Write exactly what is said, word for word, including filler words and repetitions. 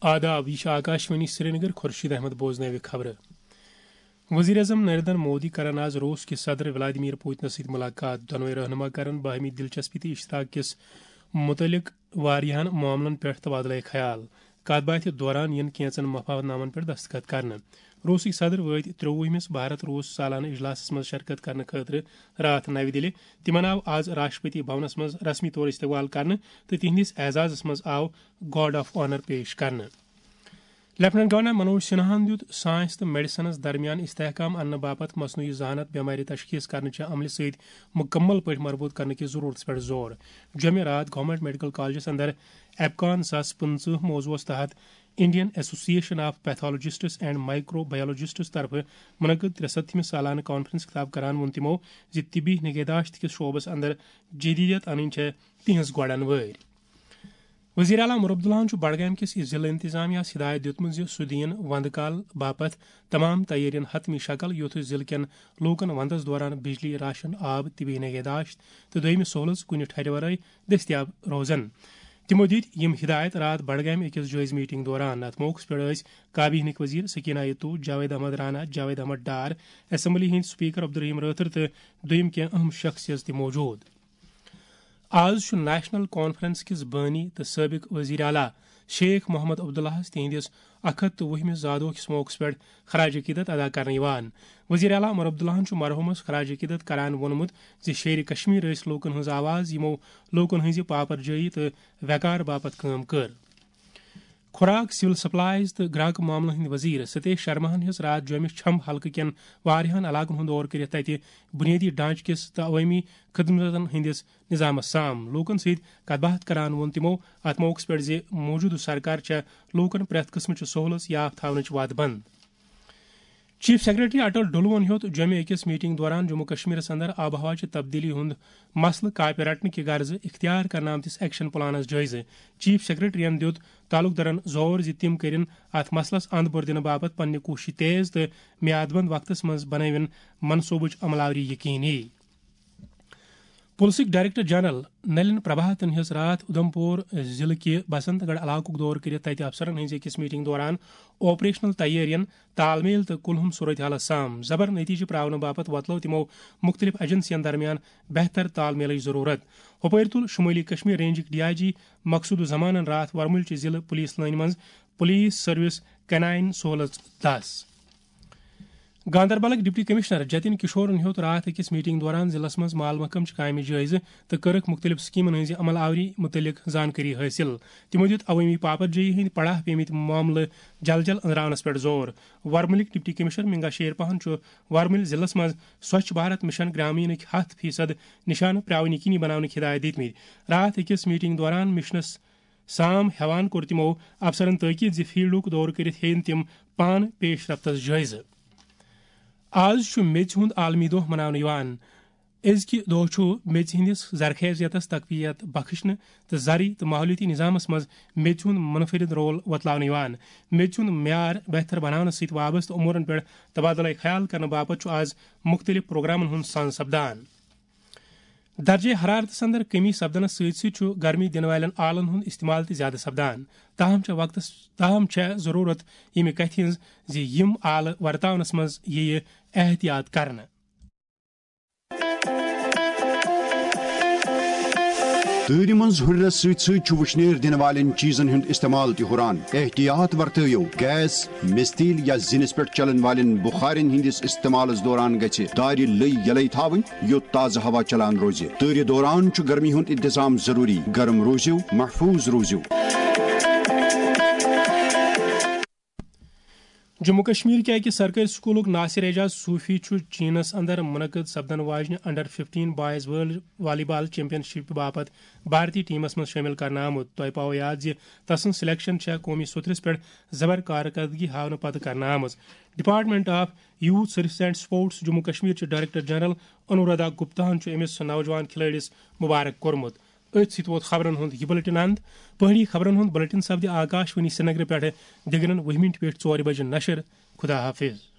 آداب، یہ چھِ آکاشوانی سرینگر۔ خورشید احمد بوزناوِ خبرٕ۔ وزیر اعظم نریندر مودی کرن آز روس کِس صدر ولادیمیر پوتنس سۭتۍ ملاقات۔ دۄنوَے رہنما کرن باہمی دلچسپی تہٕ اشتراک کِس متعلق واریاہن معاملن پٮ۪ٹھ تبادلہ خیال۔ کتھ باتھِ دوران یِن کینژن مفاہمت نامن پٮ۪ٹھ دستخط کرنہٕ۔ روسٕکۍ صدر وٲتۍ ترٛۆوُہمِس بھارت روس سالانہٕ اجلاسس منٛز شرکت کرنہٕ خٲطرٕ راتھ نَوِ دِلہِ۔ تِمن آو آز راشٹرپتی بھونس منٛز رسمی طور استقبال کرنہٕ تہٕ تِہنٛدِس اعزازس منٛز آو گارڈ آف آنر پیش کرنہٕ۔ لیفٹیننٹ گورنر منوج سنہاہن دیُت سائنس تہٕ میڈیسنس درمیان استحکام اننہٕ باپتھ مصنوعی ذہانت بٮ۪مارِ تشخیص کرنہٕ چہِ عملہِ سۭتۍ مکمل پٲٹھۍ مربوط کرنہٕ کِس ضرورتس پٮ۪ٹھ زور۔ جمعہ راتھ گورنمنٹ میڈیکل کالجس اندر ایپکان زٕ ساس پٕنٛژٕہ موضوعس تحت Indian association of pathologists and microbiologists طرفہٕ منعقد ترٛےٚ سَتتھمِس سالانہٕ کانفرنس خطاب کران ووٚن تِمو زِ طبی نگہداشت کِس شعبس اندر جدیدیت انٕنۍ چھےٚ تِہنٛز گۄڈن وٲرۍ۔ وزیر اعلیٰ عمر عبداللہن چھُ بڈگام کِس ضلع انتظامیہ ہس ہدایت دِیُتمُت زِ سُہ دِیِن وندٕ کال باپتھ تمام تیٲرین حتمی شکل، یُتھ ضلع کٮ۪ن لوٗکن وندس دوران بجلی، راشن، آب، طبی نگہداشت تہٕ دوٚیمہِ سہوٗلژ کُنہِ ٹھرِ ورٲے دٔستیاب روزن۔ تِمو دِتۍ یِم ہدایت راتھ بڈگامہِ أکِس جٲیزٕ میٹنگ دوران۔ اتھ موقعس پٮ۪ٹھ ٲسۍ کابینہٕکۍ وزیر سکینہ یتو، جاوید احمد رانا، جاوید احمد ڈار، اسمبلی ہٕنٛدۍ سپیکر عبدالرحیم رٲتھر تہٕ دوٚیِم کینٛہہ اہم شخصیژ تہِ موجود۔ آز چھُ نیشنل کانفرنس کِس بٲنی تہٕ سٲبق وزیر اعلیٰ شیخ محمد عبداللہس تِہنٛدِس اکھ ہتھ تہٕ وُہمِس زادوہ کِس موقعس پٮ۪ٹھ خراج عقیدت ادا کرنہٕ یِوان۔ وزیر اعلیٰ عمر عبداللہن چھُ مرحوٗمس خراج عقیدت کران ووٚنمُت زِ شیرِ کشمیر ٲسۍ لوٗکن ہٕنٛز آواز، یِمو لوٗکن ہٕنٛزِ پاپر جٲیی تہٕ وقار باپتھ کٲم کٔر۔ خوراک، سول سپلائز تہٕ گراکہٕ معاملن ہٕنٛدۍ وزیر ستیش شرماہن ہیٚژ راتھ جوٚمہِ چھم حلقہٕ کٮ۪ن واریاہن علاقن ہُنٛد دورٕ کٔرِتھ تتہِ بنیٲدی ڈھانچہٕ کِس تہٕ عوٲمی خدمتن ہٕنٛدِس نظامس سام۔ لوٗکن سۭتۍ کتھ باتھ کران ووٚن تِمو اتھ موقعس پٮ۪ٹھ زِ موجودٕ سرکار چھےٚ لوٗکن پرٛٮ۪تھ قٕسمٕچہِ سہوٗلژ یافتہٕ تھاونٕچ وعدٕ بنٛد۔ چیف سیکرٹری اٹل ڈلوَن ہیوٚت جوٚمہِ أکِس میٹنگ دوران جموں کشمیرس اندر آب و ہوہٕچہِ تبدیلی ہُنٛد مسلہٕ کاپہِ رٹنہٕ کہِ غرضہٕ اختیار کرنہٕ آمتِس ایکشن پلانس جٲیزٕ۔ چیف سیکرٹریَن دیُت تعلقدارن زور زِ تِم کٔرِن اتھ مسلس اند بور دِنہٕ باپتھ پننہِ کوٗششہٕ تیز تہٕ میاد بند وقتس منٛز بنٲوِن منصوبٕچ عمل آوری یقینی۔ پُلسٕکۍ ڈائریکٹر جنرل نلن پربھاتن ہیٚژ راتھ اُدھمپور ضلعہٕ کہِ بسنت گڑھ علاقُک دورٕ کٔرِتھ تَتہِ افسرن ہٕنٛزِ أکِس میٹنگ دوران آپریشنل تیٲرین تال میل تہٕ کُلہُم صورتحالس سام۔ زبر نتیجہٕ پراونہٕ باپتھ وۄتلٲو تِمو مُختٔلِف ایجنسین درمیان بہتر تال میلٕچ ضروٗرت۔ ہُپٲرۍ تُل شُمٲلی کشمیر رینجٕکۍ ڈی آئی جی مقصود الزمانن راتھ ورمُلچہِ ضلعہٕ پُلیٖس لٲنہِ منٛز پُلیٖس سروس کینائن سہولت دس۔ گاندربلٕکۍ ڈپٹی کمشنر جتن کشورن ہیوٚت راتھ أکِس میٹنگ دوران ضلعس منٛز مال محکمہٕ چہِ کامہِ جٲیزٕ تہٕ کٔرٕکھ مُختٔلِف سکیمن ہٕنٛزِ عمل آوری مُتعلق زانکٲری حٲصِل۔ تِمو دِیُت عوٲمی پاپر جٲیی ہٕنٛدۍ پڑاہ پیمٕتۍ معاملہٕ جل جل أنٛزراونس پٮ۪ٹھ زور۔ ورمُلٕکۍ ڈپٹی کمشنر منگا شیر پہن چھُ ورمُلۍ ضلعس منٛز سوچھ بھارت مشن گرامینٕکۍ ہَتھ فیصد نشانہٕ پراوٕنۍ یقینی بناونٕکۍ ہدایت دِتمٕتۍ۔ راتھ أکِس میٹنگ دوران مشنس سام ہیوان کوٚر تِمو افسرن تٲکید زِ فیلڈُک دورٕ کٔرِتھ ہیٚیِن تِم پانہٕ پیش رفتس جٲیزٕ۔ آز چھُ میٚژِ ہُنٛد عالمی دۄہ مناونہٕ یِوان۔ أزکہِ دۄہ چھُ میٚژِ ہٕنٛدِس زرخیزیتس تقویت بخشنہٕ تہٕ زرعی تہٕ ماحولیٲتی نظامس منٛز میٚژِ ہُنٛد منفرد رول وۄتلاونہٕ یِوان۔ میٚژِ ہُنٛد معیار بہتر بناونس سۭتۍ وابستہٕ امورن پٮ۪ٹھ تبادلہ خیال کرنہٕ باپتھ چھُ آز مُختٔلِف پروگرامن ہُنٛد سانز سپدان۔ درجہ حرارتس اندر کمی سپدنس سۭتۍ سۭتۍ چھُ گرمی دِنہٕ والٮ۪ن آلن ہُنٛد استعمال تہِ زیادٕ سپدان۔ تاہم چھےٚ وقتس، تاہم چھےٚ ضروٗرت ییٚمہِ کتھِ ہٕنٛز زِ یِم آلہٕ ورتاونس منٛز یِیہِ احتیاط کرنہٕ۔ تۭرِ منٛز ہُرٮ۪رس سۭتۍ سۭتۍ چھُ وُشنیر دِنہٕ والٮ۪ن چیٖزن ہُنٛد استعمال تہِ ہُران۔ احتیاط ورتٲیِو۔ گیس، میٚژِ تیٖل یا زِنِس پٮ۪ٹھ چلن والٮ۪ن بُخارٮ۪ن ہٕنٛدِس استعمالس دوران گژھِ دارِ لٔۍ یلے تھاوٕنۍ، یوٚت تازٕ ہوا چلان روزِ۔ تۭرِ دوران چھُ گرمی ہُنٛد انتظام ضروٗری۔ گرم روٗزِو، محفوٗظ روٗزِو۔ جموں کشمیر کہِ أکِس سرکٲرۍ سکوٗلُک ناصر اعجاز صوفی چھُ چینس اندر منعقد سپدن واجنہِ انڈر ففٹین بوائز ورلڈ والی بال چیمپین شپ باپتھ بھارتی ٹیمس منٛز شٲمِل کرنہٕ آمُت۔ تۄہہِ پاوو یاد زِ تسٕنٛز سلیکشن چھےٚ قومی سطرس پٮ۪ٹھ زبر کارکردگی ہاونہٕ پتہٕ کرنہٕ آمٕژ۔ Department of youth services and sports Jammu Kashmir چہِ ڈائریکٹر جنرل انورادھا گپتا ہن چھُ أمِس نوجوان کھلٲڑِس مبارک کوٚرمُت۔ أتھۍ سۭتۍ ووت خبرن ہُنٛد یہِ بلیٹن اند۔ پہٲڑی خبرن ہُنٛد بلیٹن سپدِ آکاش وانی سرینگرٕ پٮ۪ٹھٕ دِگرن وُہہِ منٹہِ پٮ۪ٹھ ژورِ بجہِ نشر۔ خدا حافظ۔